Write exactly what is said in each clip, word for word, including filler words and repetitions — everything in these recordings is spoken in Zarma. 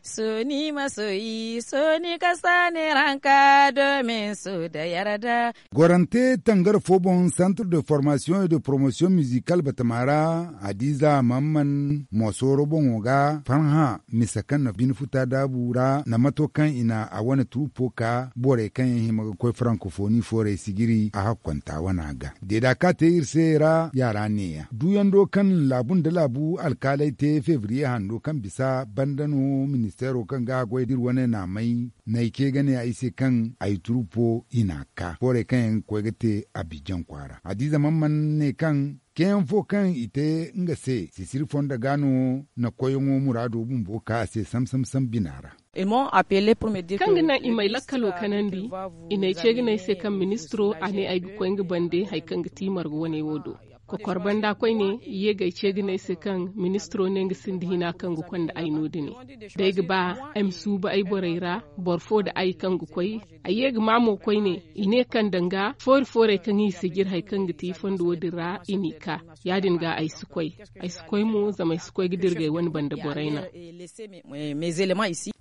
Sooni masoyi sooni kasa ne ranka domin su da yarda. Gorante tangara fo boŋ santre de formation et de promotion musical batama ra, hadiza mamman mosooro boŋo ga farhã misa kaŋ na bine futa daabu ra na mato kaŋ i na a wane turupo ka borey kaŋ yaŋ hima ga koy frankofooni foorey sijiri a hakkonta wana ga deeda ka te iri se ra yaara neeya duuyando kaŋ laabu nda laabu alkaaley te febriye hando kaŋ bisa banda no ministeero kaŋ ga a goy da iri wane naamay na ay ce ga ne ay se kaŋ ay turupo i n'a ka foorey kaŋ yaŋ ga koy ga te abijan kwaara hadiiza man mana ne kaŋ keyaŋ fo kaŋ i te nga se sisiri fondo ga no na koyyaŋo muraado bumbo ka a se sam sam sam bina ra. Kaŋ ga naŋ i m'ay lakkalo kanandi i n'ay ce ga ne ay se kaŋ ministiro a ne ay ga koy nga bande hari kaŋ ga ti marga wane wo do. Kokor banda koyne i ye ga ay ce ga ne ay se kaŋ ministiro ne nga sinda hina kaŋ ga konda ay no- din. D'ay ga ba ay ma suuba ay borey ra boro fo nda ay kaŋ ga koy ay ye ga ma mo koyne i ne kaŋ danga foori foorey kaŋ i si jire hari kaŋ ga ti fondo wo- din ra i n'i ka. Ya- din ga ay si koy ay si koy mo zama ay si koy ga dirgay wane banda borey naŋ.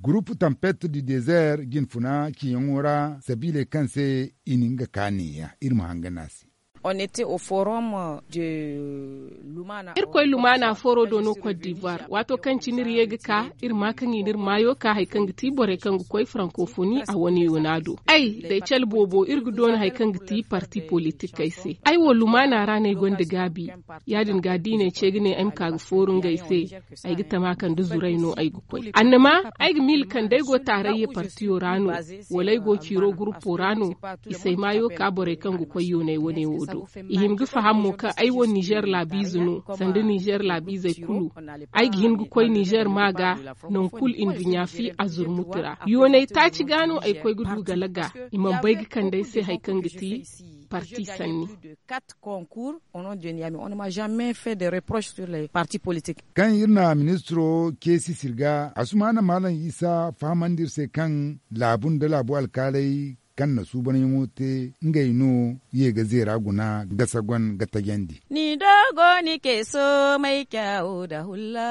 Gurupu tampet du dezer jinfuna ciyaŋo ra sabiiley kaŋ se i na nga ka neeya iri ma hangan a se. Iri koy lumaana fooro do no kot divuwar waato kaŋ cine iri ye ga ka iri ma kaŋ i n'iri maayo ka hari kaŋ ga ti borey kaŋ ga koy farankofoni a wane yoona do ay da ay cale boobo iri ga doona hari kaŋ ga ti parti politikey se ay wo lumaana ra no ay gonda gaabi. Ya- din ga da i n'ay ce ga ne ay ma ka ga fooru ngey se ay ga tama kaŋ da zuray no ay ga koy annama ay ga miila kaŋ da ay go taarayya partiyo ra no wala ay go ciiro gurupo ra no i s'ay maayo ka borey kaŋ ga koy yoonay wane wo do. I hima ga faham mo kaŋ ay wo ninzeer laabiize no sanda ninzeer laabiizey kulu. Ay ga hin ga koy ninzeer ma ga nangu kulu nduɲɲa fi a zurmuti ra yoonay taaci ga no ay koy ga du gala ga i mana bay ga kande ay se hari kaŋ ga ti parti sanni. Kaŋ iri na ministiro ceesi sirga asumaana maalam isa fahamandi iri se kaŋ laabu nda laabu alkaaley kaŋ na suubanyaŋo te ngey no ye ga zeera guna ga sagon ga tajandi. Ni do go ni ke soomay caawo nda hulla.